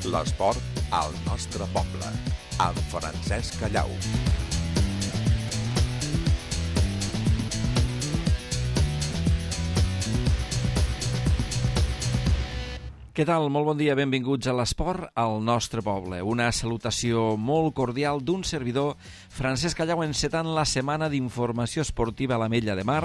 L'esport al nostre poble, amb Francesc Callau. Què tal? Molt bon dia, benvinguts a l'Esport al nostre poble. Una salutació molt cordial d'un servidor, Francesc Callau, encetant la setmana d'informació esportiva a l'Ametlla de Mar.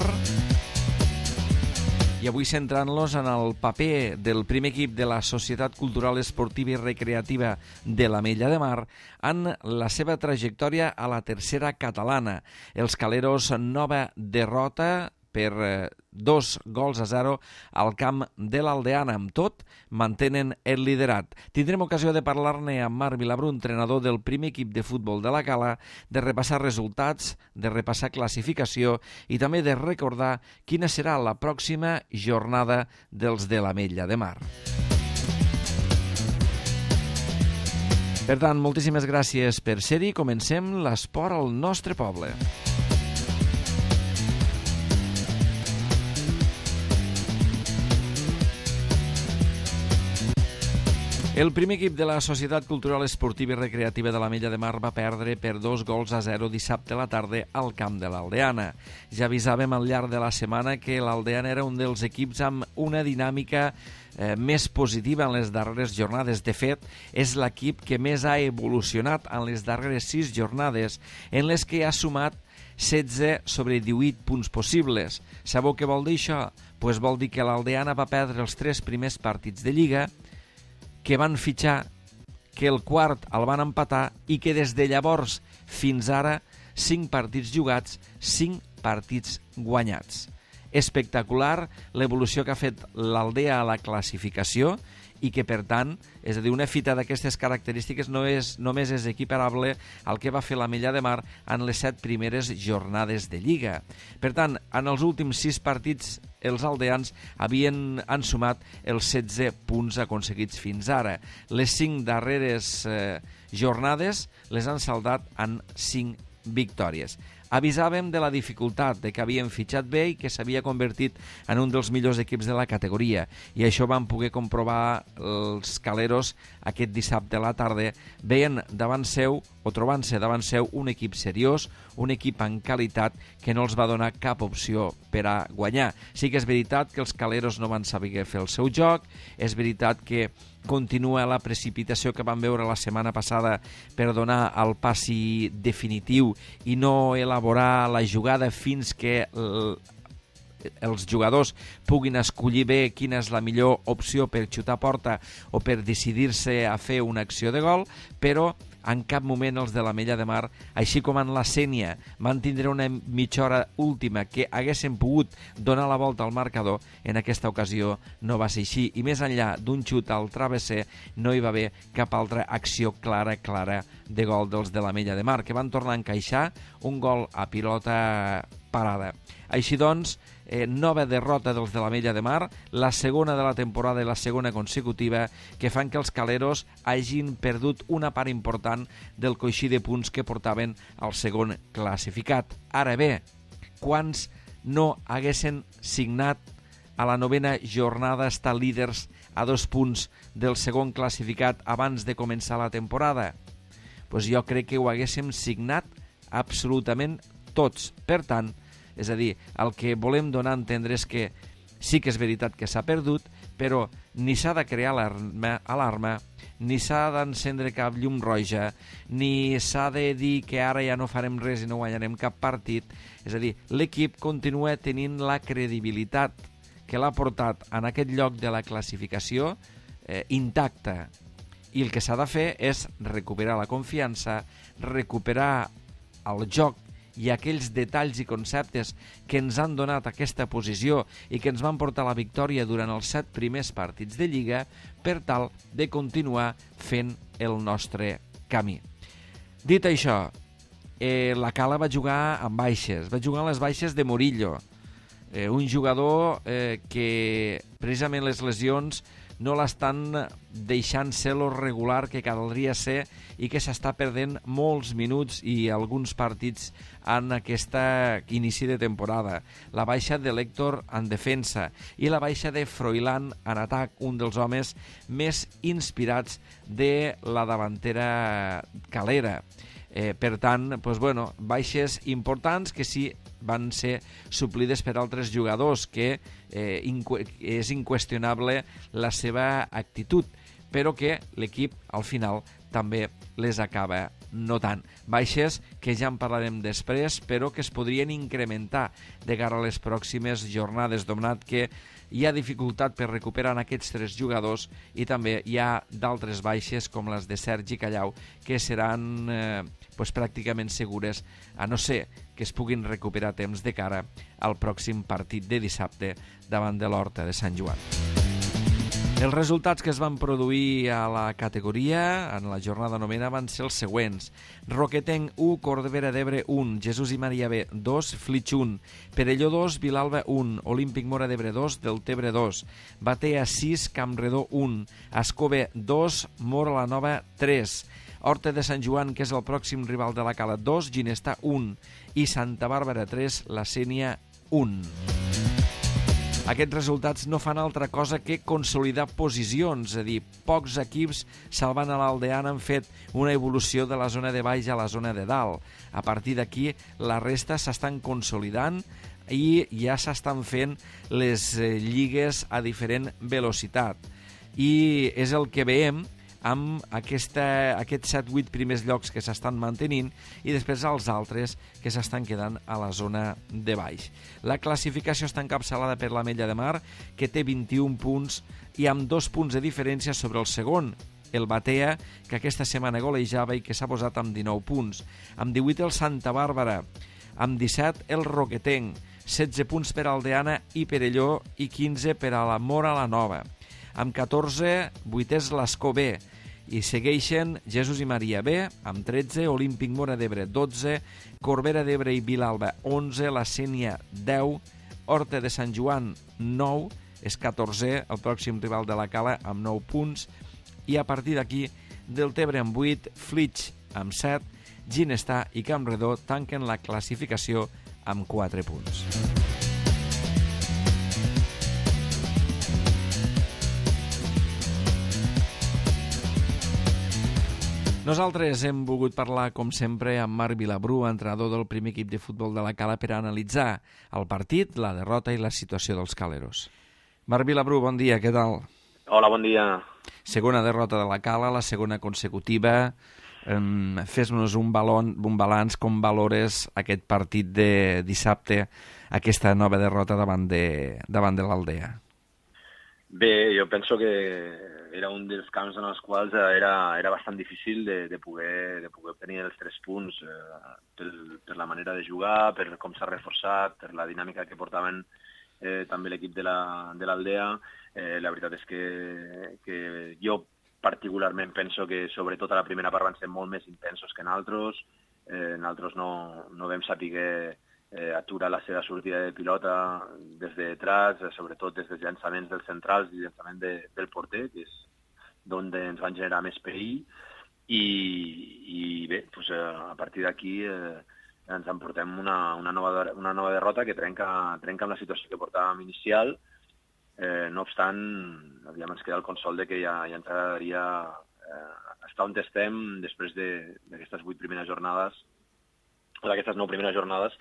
I avui centrant-los en el paper del primer equip de la Societat Cultural Esportiva i Recreativa de l'Ametlla de Mar en la seva trajectòria a la tercera catalana. Els caleros, nova derrota per 2-0 al camp de l'Aldeana. Amb tot, mantenen el liderat. Tindrem ocasió de parlar-ne amb Marc Vilabrú, entrenador del primer equip de futbol de la Cala, de repassar resultats, de repassar classificació i també de recordar quina serà la pròxima jornada dels de l'Ametlla de Mar. Per tant, moltíssimes gràcies per ser-hi. Comencem l'esport al nostre poble. El primer equip de la Societat Cultural Esportiva i Recreativa de l'Ametlla de Mar va perdre per 2-0 dissabte a la tarda al camp de l'Aldeana. Ja avisàvem al llarg de la setmana que l'Aldeana era un dels equips amb una dinàmica més positiva en les darreres jornades. De fet, és l'equip que més ha evolucionat en les darreres 6 jornades, en les que ha sumat 16 sobre 18 punts possibles. Sabeu què vol dir això? Pues vol dir que l'Aldeana va perdre els 3 primers partits de Lliga, que van fitxar, que el quart el van empatar i que des de llavors fins ara 5 partits jugats, 5 partits guanyats. Espectacular l'evolució que ha fet l'Aldea a la classificació i que, per tant, és a dir, una fita d'aquestes característiques només és equiparable al que va fer l'Ametlla de Mar en les 7 primeres jornades de Lliga. Per tant, en els últims 6 partits, els aldeans han sumat els 16 punts aconseguits fins ara. Les 5 darreres jornades les han saldat en 5 victòries. Avisàvem de la dificultat, de que havien fitxat bé i que s'havia convertit en un dels millors equips de la categoria. I això van poder comprovar els caleros aquest dissabte a la tarda, veient davant seu, o trobant-se davant seu, un equip seriós, un equip en qualitat que no els va donar cap opció per a guanyar. Sí que és veritat que els caleros no van saber fer el seu joc, és veritat que continua la precipitació que vam veure la setmana passada per donar el passi definitiu i no elaborar la jugada fins que els jugadors puguin escollir bé quina és la millor opció per xutar a porta o per decidir-se a fer una acció de gol, però en cap moment els de l'Ametlla de Mar, així com en la Sénia, van tindre una mitja hora última que haguessin pogut donar la volta al marcador. En aquesta ocasió no va ser així, i més enllà d'un xut al travesser no hi va haver cap altra acció clara de gol dels de l'Ametlla de Mar, que van tornar a encaixar un gol a pilota parada. Així doncs, nova derrota dels de l'Ametlla de Mar, la segona de la temporada i la segona consecutiva, que fan que els caleros hagin perdut una part important del coixí de punts que portaven al segon classificat. Ara bé, quants no haguessin signat a la 9ª jornada estar líders a 2 punts del segon classificat abans de començar la temporada? Pues jo crec que ho haguéssim signat absolutament tots. Per tant, és a dir, el que volem donar a entendre és que sí que és veritat que s'ha perdut, però ni s'ha de crear alarma, ni s'ha d'encendre cap llum roja, ni s'ha de dir que ara ja no farem res i no guanyarem cap partit. És a dir, l'equip continua tenint la credibilitat que l'ha portat en aquest lloc de la classificació intacta. I el que s'ha de fer és recuperar la confiança, recuperar el joc i aquells detalls i conceptes que ens han donat aquesta posició i que ens van portar a la victòria durant els 7 primers partits de Lliga, per tal de continuar fent el nostre camí. Dit això, la Cala va jugar amb baixes, va jugar amb les baixes de Murillo. Un jugador que precisament les lesions no l'estan deixant ser lo regular que caldria ser i que s'està perdent molts minuts i alguns partits en aquesta inici de temporada. La baixa de l'Héctor en defensa i la baixa de Froilán en atac, un dels homes més inspirats de la davantera calera. Per tant, baixes importants que sí van ser suplides per altres jugadors, que és inqüestionable la seva actitud, però que l'equip al final també les acaba notant. Baixes que ja en parlarem després, però que es podrien incrementar de cara a les pròximes jornades, donat que hi ha dificultat per recuperar aquests 3 jugadors i també hi ha d'altres baixes com les de Sergi Callau que seran pràcticament segures, a no ser que es puguin recuperar temps de cara al pròxim partit de dissabte davant de l'Horta de Sant Joan. Els resultats que es van produir a la categoria en la jornada novena van ser els següents: Roquetenc 1, Corbera d'Ebre 1, Jesús i Maria B 2, Flix 1, Perelló 2, Vilalba 1, Olímpic Móra d'Ebre 2, Deltebre 2, Batea 6, Campredó 1, Ascó B 2, Móra la Nova 3, Horta de Sant Joan, que és el pròxim rival de la Cala, 2, Ginestà 1 i Santa Bàrbara 3, La Sénia 1. Aquests resultats no fan altra cosa que consolidar posicions, és a dir, pocs equips salvant a l'Aldeana han fet una evolució de la zona de baix a la zona de dalt. A partir d'aquí, la resta s'estan consolidant i ja s'estan fent les lligues a diferent velocitat. I és el que veiem amb aquests 7-8 primers llocs que s'estan mantenint i després els altres que s'estan quedant a la zona de baix. La classificació està encapçalada per l'Ametlla de Mar, que té 21 punts i amb 2 punts de diferència sobre el segon, el Batea, que aquesta setmana golejava i que s'ha posat amb 19 punts. Amb 18 el Santa Bàrbara, amb 17 el Roquetenc, 16 punts per Aldeana i Perelló i 15 per a la Móra la Nova. Amb 14, 8è és l'Ascó B, i segueixen Jesús i Maria B, amb 13, Olímpic Móra d'Ebre 12, Corbera d'Ebre i Vilalba 11, La Sénia 10, Horta de Sant Joan 9, és 14è, el pròxim rival de la Cala amb 9 punts, i a partir d'aquí Deltebre amb 8, Flix amb 7, Ginestà i Campredó tanquen la classificació amb 4 punts. Nosaltres hem volgut parlar, com sempre, amb Marc Vilabrú, entrenador del primer equip de futbol de la Cala, per analitzar el partit, la derrota i la situació dels caleros. Marc Vilabrú, bon dia, què tal? Hola, bon dia. Segona derrota de la Cala, la segona consecutiva. Fes-nos un balanç, com valores aquest partit de dissabte, aquesta nova derrota davant de l'Aldea? Bé, jo penso que era un dels camps en els quals era bastant difícil de poder obtenir els 3 punts per la manera de jugar, per com s'ha reforçat, per la dinàmica que portaven també l'equip de l'Aldea. La veritat és que jo particularment penso que sobretot a la primera part van ser molt més intensos que en altres. Nosaltres no vam saber aturar la seva sortida de pilota des de detrás, sobretot des dels llançaments dels centrals i llançament del porter, que és d'on ens van generar més perill. I bé, a partir d'aquí ens emportem una nova derrota que trenca amb la situació que portàvem inicial. No obstant, ens queda el consol de que ja ens agradaria estar on estem després d'aquestes 8 primeres jornades, o d'aquestes 9 primeres jornades,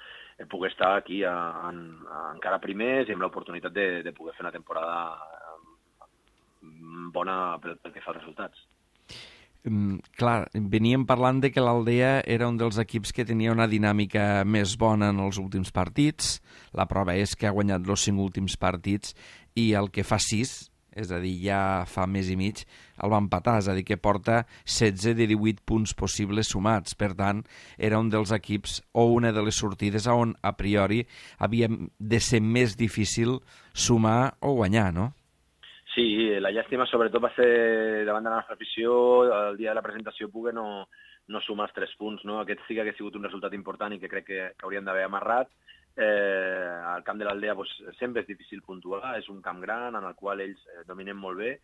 poder estar aquí encara primers i amb l'oportunitat de poder fer una temporada bona pel que fa als resultats. Clar, veníem parlant de que l'Aldea era un dels equips que tenia una dinàmica més bona en els últims partits. La prova és que ha guanyat els 5 últims partits i el que fa 6, és a dir, ja fa mes i mig, el va empatar, és a dir, que porta 16 de 18 punts possibles sumats. Per tant, era un dels equips o una de les sortides on, a priori, havia de ser més difícil sumar o guanyar, no? Sí, la llàstima sobretot va ser davant de la nostra afició, el dia de la presentació poder no sumar els 3 punts, no? Aquest sí que ha sigut un resultat important i que crec que hauríem d'haver amarrat. Al camp de l'Aldea sempre és difícil puntuar, és un camp gran en el qual ells dominen molt bé.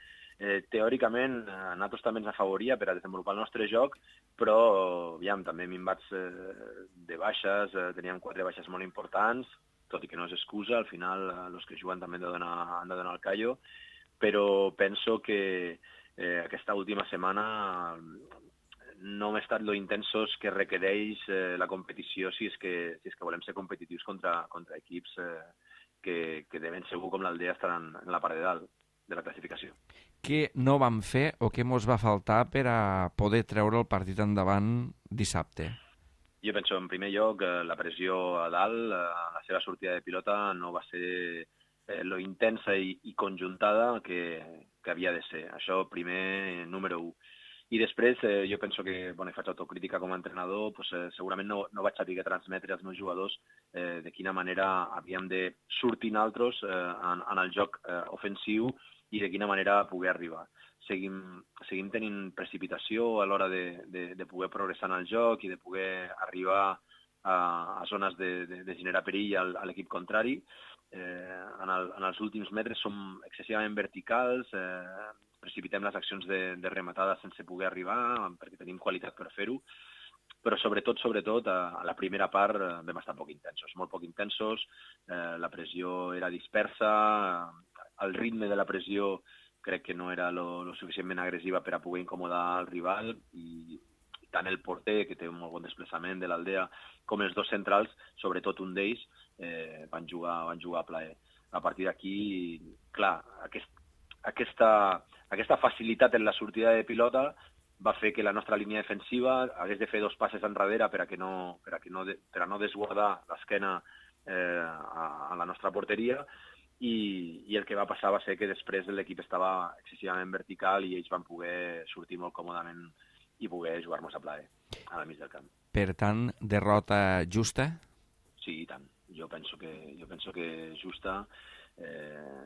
Teòricament, a nosaltres també ens afavoria per a desenvolupar el nostre joc, però també minvats de baixes, teníem 4 baixes molt importants, tot i que no és excusa, al final els que juguen també han de donar el callo, però penso que aquesta última setmana no hem estat lo intensos que requereix la competició si és que volem ser competitius contra equips que de ben segur com l'Aldea estaran en la part de dalt de la classificació. Què no vam fer o què mos va faltar per a poder treure el partit endavant dissabte? Jo penso, en primer lloc, la pressió a dalt, la seva sortida de pilota no va ser lo intensa i conjuntada que havia de ser. Això primer, número 1. I després jo penso que, he faig autocrítica com a entrenador, segurament no vaig saber transmetre als meus jugadors de quina manera havíem de sortir nosaltres en el joc ofensiu i de quina manera poder arribar. Seguim tenint precipitació a l'hora de poder progressar en el joc i de poder arribar a zones de generar perill a l'equip contrari. En els últims metres som excessivament verticals, precipitem les accions de rematada sense poder arribar, perquè tenim qualitat per fer-ho, però sobretot, a la primera part vam estar molt poc intensos, la pressió era dispersa, el ritme de la pressió crec que no era lo suficientment agressiva per a poder incomodar el rival, i tant el porter, que té un molt bon desplaçament de l'Aldea, com els dos centrals, sobretot un d'ells, van jugar a plaer. A partir d'aquí, clar, aquesta facilitat en la sortida de pilota va fer que la nostra línia defensiva hagués de fer 2 passes enrere per a no desguardar l'esquena a la nostra porteria, i el que va passar va ser que després l'equip estava excessivament vertical i ells van poder sortir molt còmodament i poder jugar-nos a plaer a la mig del camp. Per tant, derrota justa? Sí, i tant. Jo penso que justa,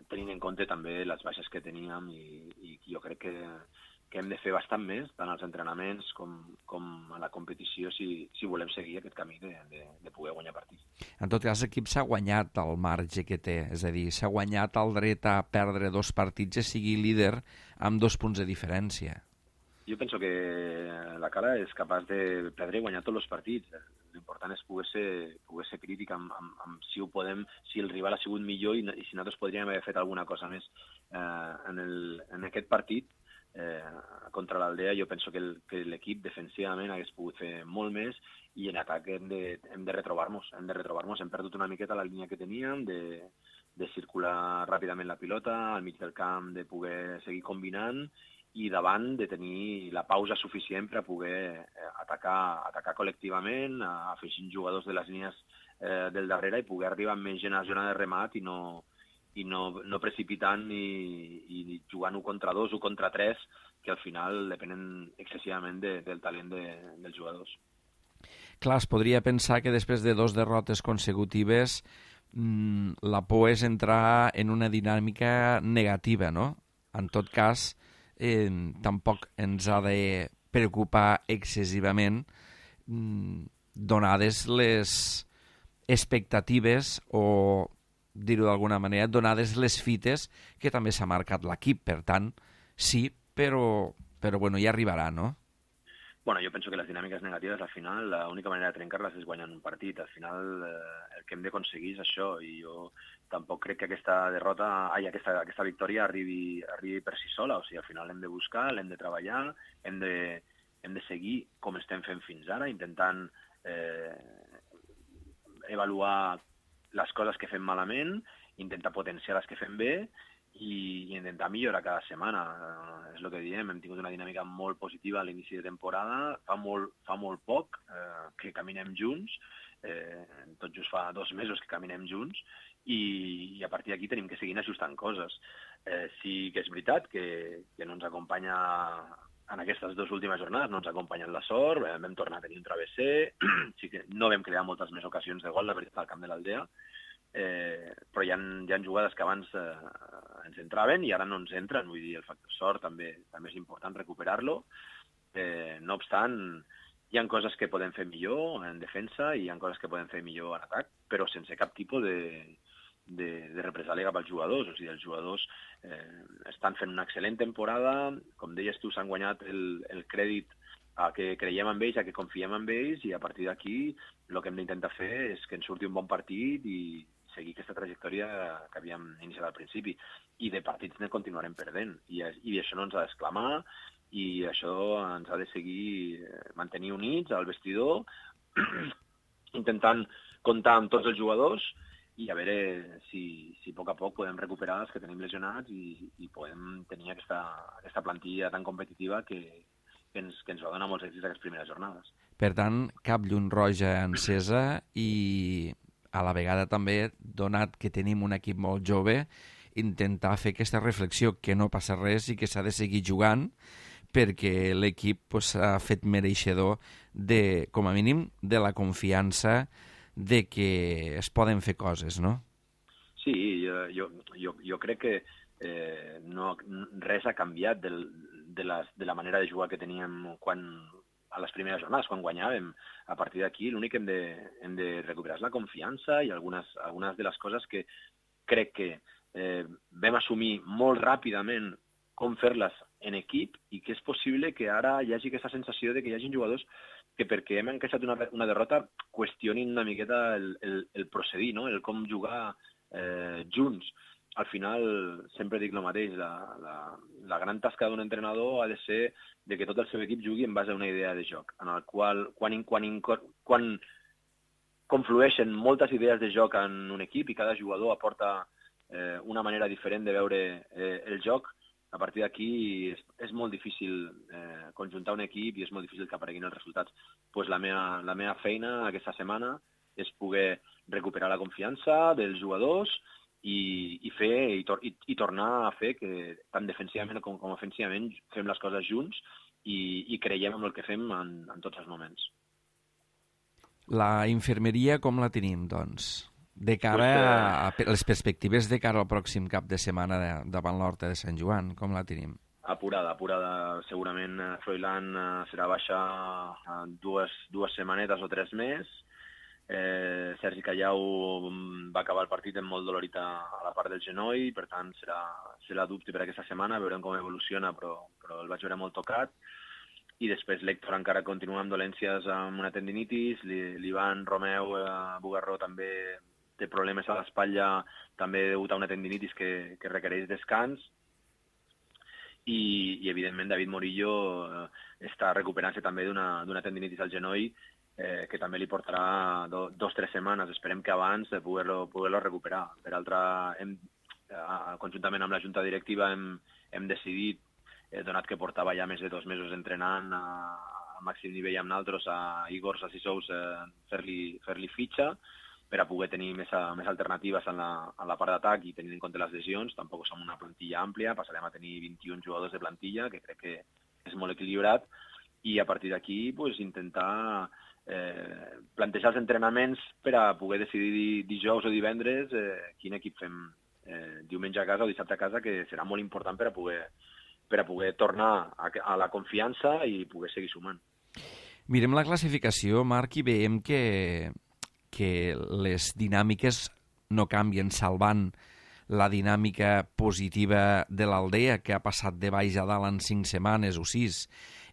tenint en compte també les baixes que teníem, i jo crec que hem de fer bastant més, tant als entrenaments com a la competició, si volem seguir aquest camí de poder guanyar partits. En tot cas, l'equip s'ha guanyat el marge que té, és a dir, s'ha guanyat el dret a perdre 2 partits i sigui líder amb 2 punts de diferència. Jo penso que la Cala és capaç de perdre i guanyar tots els partits. L'important és poder ser crític amb si el rival ha sigut millor i si nosaltres podríem haver fet alguna cosa més. En aquest partit, contra l'Aldea, jo penso que l'equip defensivament hagués pogut fer molt més, i en atac hem de retrobar-nos. Hem perdut una miqueta la línia que teníem, de circular ràpidament la pilota, al mig del camp de poder seguir combinant, i davant de tenir la pausa suficient per a poder atacar col·lectivament, afegint jugadors de les línies del darrere i poder arribar amb més gent a la zona de remat i no precipitant i jugant 1 contra 2 o contra 3, que al final depenen excessivament del talent dels jugadors. Clar, es podria pensar que després de 2 derrotes consecutives la por és entrar en una dinàmica negativa, no? En tot cas, tampoc ens ha de preocupar excessivament donades les expectatives o, dir-ho d'alguna manera, donades les fites que també s'ha marcat l'equip. Per tant, sí, però bueno, ja arribarà, no? Bueno, jo penso que les dinàmiques negatives, al final, l'única manera de trencar-les és guanyant un partit. Al final, el que hem d'aconseguir és això, i jo tampoc crec que aquesta victòria arribi per si sola. O sigui, al final l'hem de buscar, l'hem de treballar, hem de seguir com estem fent fins ara, intentant avaluar les coses que fem malament, intentar potenciar les que fem bé, i intentar millorar cada setmana. És el que diem, hem tingut una dinàmica molt positiva a l'inici de temporada, fa molt poc que caminem junts, tot just fa 2 mesos que caminem junts, i a partir d'aquí tenim que seguir ajustant coses. Sí que és veritat que no ens acompanya en aquestes 2 últimes jornades, no ens ha acompanyat la sort, vam tornar a tenir un travesser, sí que no vam crear moltes més ocasions de gol, la veritat, al camp de l'Aldea, però hi ha jugades que abans ens entraven i ara no ens entren. Vull dir, el factor sort també és important recuperar-lo. No obstant, hi ha coses que podem fer millor en defensa i hi ha coses que podem fer millor en atac. però sense cap tipus de represàlia cap als jugadors. O sigui, els jugadors estan fent una excel·lent temporada, com deies tu, s'han guanyat el crèdit a que creiem en ells, a que confiem en ells, i a partir d'aquí el que hem d'intentar fer és que ens surti un bon partit i seguir aquesta trajectòria que havíem iniciat al principi. I de partits ne continuarem perdent. I això no ens ha d'exclamar, i això ens ha de seguir mantenir units al vestidor, intentant comptar amb tots els jugadors i a veure si a poc a poc podem recuperar els que tenim lesionats i podem tenir aquesta plantilla tan competitiva que ens va donar molts èxits aquestes primeres jornades. Per tant, cap llum roja encesa i a la vegada també, donat que tenim un equip molt jove, intentar fer aquesta reflexió que no passa res i que s'ha de seguir jugant perquè l'equip s'ha fet mereixedor de, com a mínim, de la confiança de que es poden fer coses, no? Sí, jo crec que res ha canviat de la manera de jugar que teníem a les primeres jornades, quan guanyàvem. A partir d'aquí l'únic que hem de recuperar és la confiança i algunes de les coses que crec que vam assumir molt ràpidament com fer-les en equip i que és possible que ara hi hagi aquesta sensació de que hi hagi jugadors que perquè hem encaixat una derrota qüestionin una miqueta el procedir, no? El com jugar junts. Al final, sempre dic el mateix, la gran tasca d'un entrenador ha de ser de que tot el seu equip jugui en base a una idea de joc, en el qual, quan conflueixen moltes idees de joc en un equip i cada jugador aporta una manera diferent de veure el joc, a partir d'aquí és molt difícil conjuntar un equip i és molt difícil que apareguin els resultats. Pues la meva feina aquesta setmana és poder recuperar la confiança dels jugadors i tornar a fer que tant defensivament com ofensivament fem les coses junts i creiem en el que fem en tots els moments. La infermeria com la tenim, doncs? De cara a les perspectives de cara al pròxim cap de setmana davant l'Horta de Sant Joan, com la tenim? Apurada. Segurament Froilán serà baixa dues setmanetes o 3 més. Sergi Callau va acabar el partit amb molt dolorit a la part del genoll, per tant serà dubte per aquesta setmana, veurem com evoluciona, però el vaig veure molt tocat. I després l'Héctor encara continua amb dolències amb una tendinitis, l'Ivan Romeu Bugarró també té problemes a l'espatlla, també degut a una tendinitis que requereix descans, i evidentment David Morillo està recuperant-se també d'una tendinitis al genoll que també li portarà 2-3 setmanes. Esperem que abans de poder-lo recuperar. Per altra, conjuntament amb la junta directiva hem decidit, donat que portava ja més de 2 mesos entrenant a màxim nivell amb nosaltres, a Igor Sassisous fer-li fitxa per a poder tenir més alternatives en la part d'atac i tenint en compte les lesions. Tampoc som una plantilla àmplia, passarem a tenir 21 jugadors de plantilla, que crec que és molt equilibrat, i a partir d'aquí intentar plantejar els entrenaments per a poder decidir dijous o divendres quin equip fem diumenge a casa o dissabte a casa, que serà molt important per a poder tornar a la confiança i poder seguir sumant. Mirem la classificació, Marc, i veiem que les dinàmiques no canvien, salvant la dinàmica positiva de l'Aldea, que ha passat de baix a dalt en 5 setmanes o 6,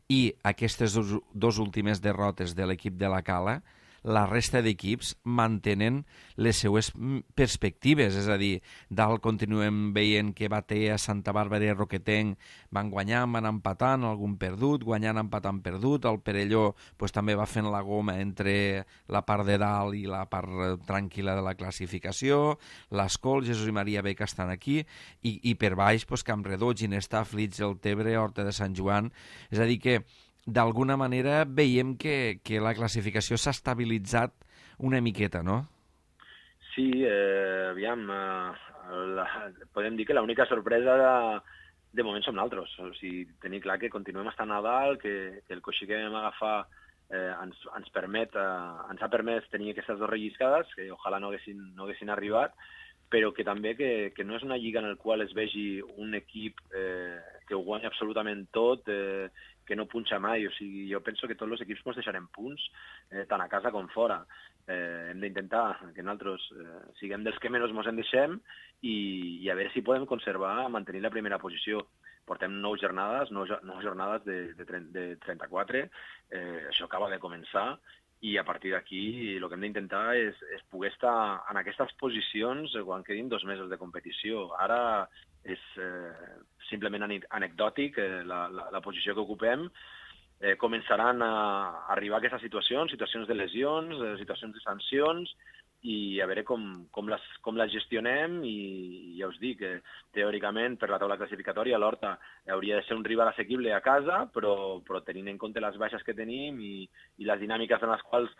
i aquestes dos últimes derrotes de l'equip de la Cala, la resta d'equips mantenen les seues perspectives, és a dir, dalt continuem veient que Batea, Santa Bàrbara i Roquetenc van guanyant, van empatant, algun perdut, guanyant, empatant, perdut, el Perelló també va fent la goma entre la part de dalt i la part tranquil·la de la classificació, l'Escol, Jesús i Maria Beca estan aquí, i per baix Campredó, Ginestà, Flix, el Tebre, Horta de Sant Joan, és a dir que d'alguna manera veiem que la classificació s'ha estabilitzat una miqueta, no? Sí, aviam, podem dir que l'única sorpresa de moment som nosaltres. O sigui, tenir clar que continuem estant a dalt, que el coixí que vam agafar ens ha permès tenir aquestes 2 relliscades, que ojalà no haguessin arribat, però que també que no és una lliga en la qual es vegi un equip que ho guanya absolutament tot, no punxa mai. O sigui, jo penso que tots els equips ens deixarem punts, tant a casa com fora. Hem d'intentar que nosaltres siguem dels que menys ens en deixem i a veure si podem mantenir la primera posició. Portem 9 jornades de 34, això acaba de començar, i a partir d'aquí el que hem d'intentar és poder estar en aquestes posicions quan quedin 2 mesos de competició. Ara és simplement anecdòtic la posició que ocupem. Començaran a arribar aquestes situacions de lesions, situacions de sancions, i a veure com les gestionem. I ja us dic, teòricament, per la taula classificatòria, l'Horta hauria de ser un rival assequible a casa, però tenint en compte les baixes que tenim i les dinàmiques en les quals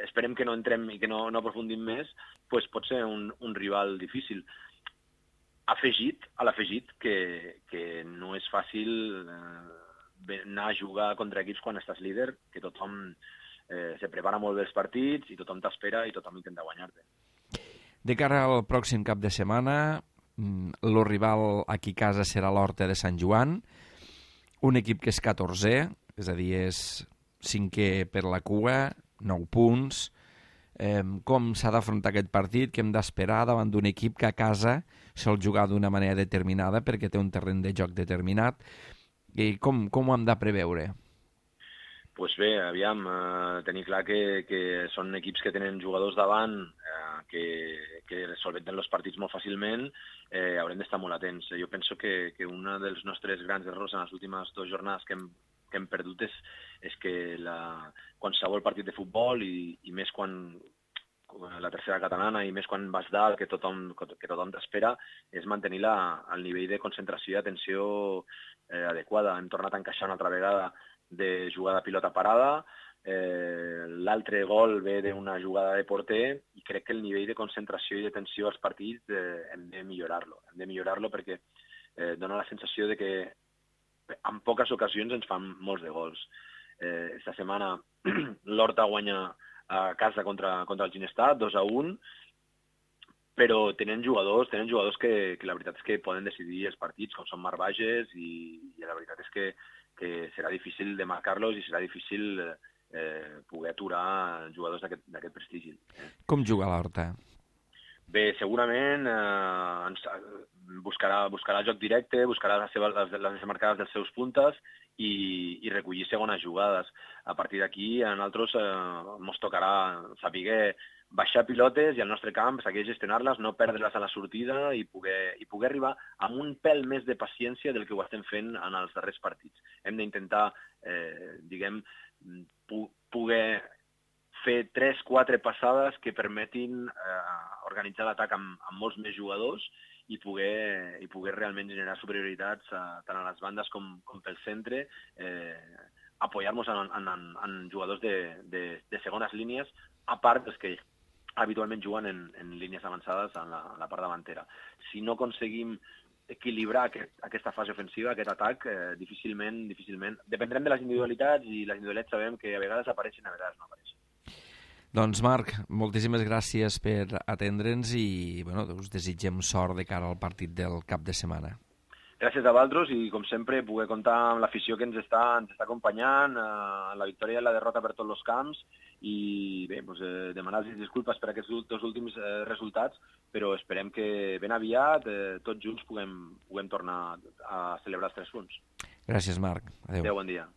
esperem que no entrem i que no aprofundim més, doncs pot ser un rival difícil. A l'afegit que no és fàcil anar a jugar contra equips quan estàs líder, que tothom se prepara molt bé els partits i tothom t'espera i tothom intenta guanyar-te. De cara al pròxim cap de setmana, el rival aquí a casa serà l'Horta de Sant Joan, un equip que és 14è, és a dir, és 5è per la cua, 9 punts. Com s'ha d'afrontar aquest partit, que hem d'esperar davant d'un equip que a casa sol jugar d'una manera determinada perquè té un terreny de joc determinat, i com ho hem de preveure? Doncs bé, aviam, tenir clar que són equips que tenen jugadors davant que solventen els partits molt fàcilment, haurem d'estar molt atents. Jo penso que un dels nostres grans errors en les últimes 2 jornades que hem perdut és que qualsevol partit de futbol, i més quan la tercera catalana, i més quan vas dalt, que tothom t'espera, és mantenir el nivell de concentració i atenció adequada. Hem tornat a encaixar una altra vegada de jugada pilota parada, l'altre gol ve d'una jugada de porter, i crec que el nivell de concentració i de tensió als partits hem de millorar-lo. Hem de millorar-lo perquè dona la sensació de que en poques ocasions ens fan molts de gols. Esta setmana l'Horta guanya a casa contra el Ginestar, 2-1, però tenen jugadors que la veritat és que poden decidir els partits, com són Marc Bages, i la veritat és que serà difícil de marcar-los i serà difícil poder aturar jugadors d'aquest prestigi. Com juga l'Horta? Bé, segurament buscarà el joc directe, buscarà les marcades dels seus puntes i recollir segones jugades. A partir d'aquí, a nosaltres ens tocarà saber baixar pilotes i al nostre camp saber gestionar-les, no perdre-les a la sortida i poder arribar amb un pèl més de paciència del que ho estem fent en els darrers partits. Hem d'intentar, poder fer 3-4 passades que permetin organitzar l'atac amb molts més jugadors i poder realment generar superioritats tant a les bandes com pel centre, apoyar-nos en jugadors de segones línies, a part dels que habitualment juguen en línies avançades en la part davantera. Si no aconseguim equilibrar aquesta fase ofensiva, aquest atac, difícilment, dependrem de les individualitats, i les individualitats sabem que a vegades apareixen, a vegades no apareixen. Doncs Marc, moltíssimes gràcies per atendre'ns i us desitgem sort de cara al partit del cap de setmana. Gràcies a vosaltres, i com sempre poder comptar amb l'afició que ens està acompanyant en la victòria i la derrota per tots els camps, i bé, demanar-los disculpes per aquests 2 últims resultats, però esperem que ben aviat tots junts puguem tornar a celebrar els 3 punts. Gràcies, Marc. Adéu. Bon dia.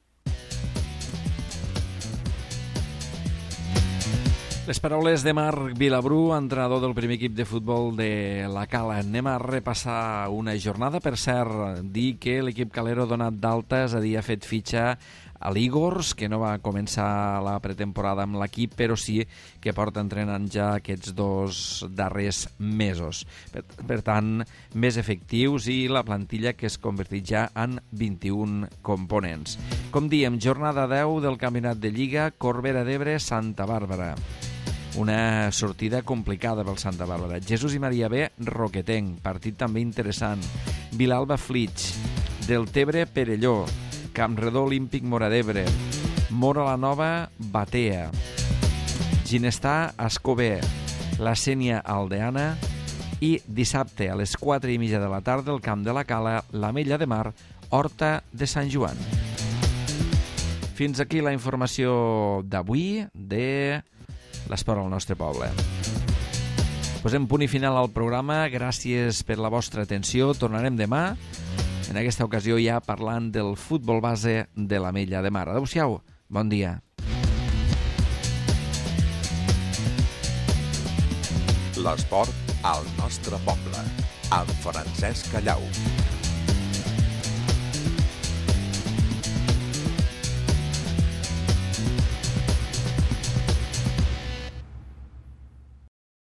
Les paraules de Marc Vilabrú, entrenador del primer equip de futbol de la Cala. Anem a repassar una jornada. Per cert, dir que l'equip calero ha donat d'alta, és a dir, ha fet fitxa a l'Igors, que no va començar la pretemporada amb l'equip, però sí que porta entrenant ja aquests 2 darrers mesos. Per tant, més efectius, i la plantilla que es convertit ja en 21 components. Com diem, jornada 10 del Campionat de Lliga, Corbera d'Ebre, Santa Bàrbara. Una sortida complicada pel Santa Bàrbara. Jesús i Maria B, Roquetenc, partit també interessant. Vilalba Flix, Deltebre Perelló, Campredó Olímpic Móra d'Ebre, Móra la Nova Batea, Ginestar Escober, la Sénia Aldeana, i dissabte a les 4:30 de la tarda al Camp de la Cala, l'Ametlla de Mar, Horta de Sant Joan. Fins aquí la informació d'avui de l'esport al nostre poble. Posem punt i final al programa. Gràcies per la vostra atenció. Tornarem demà, en aquesta ocasió ja parlant del futbol base de l'Ametlla de Mar. Adéu-siau, bon dia. L'esport al nostre poble, amb Francesc Callau.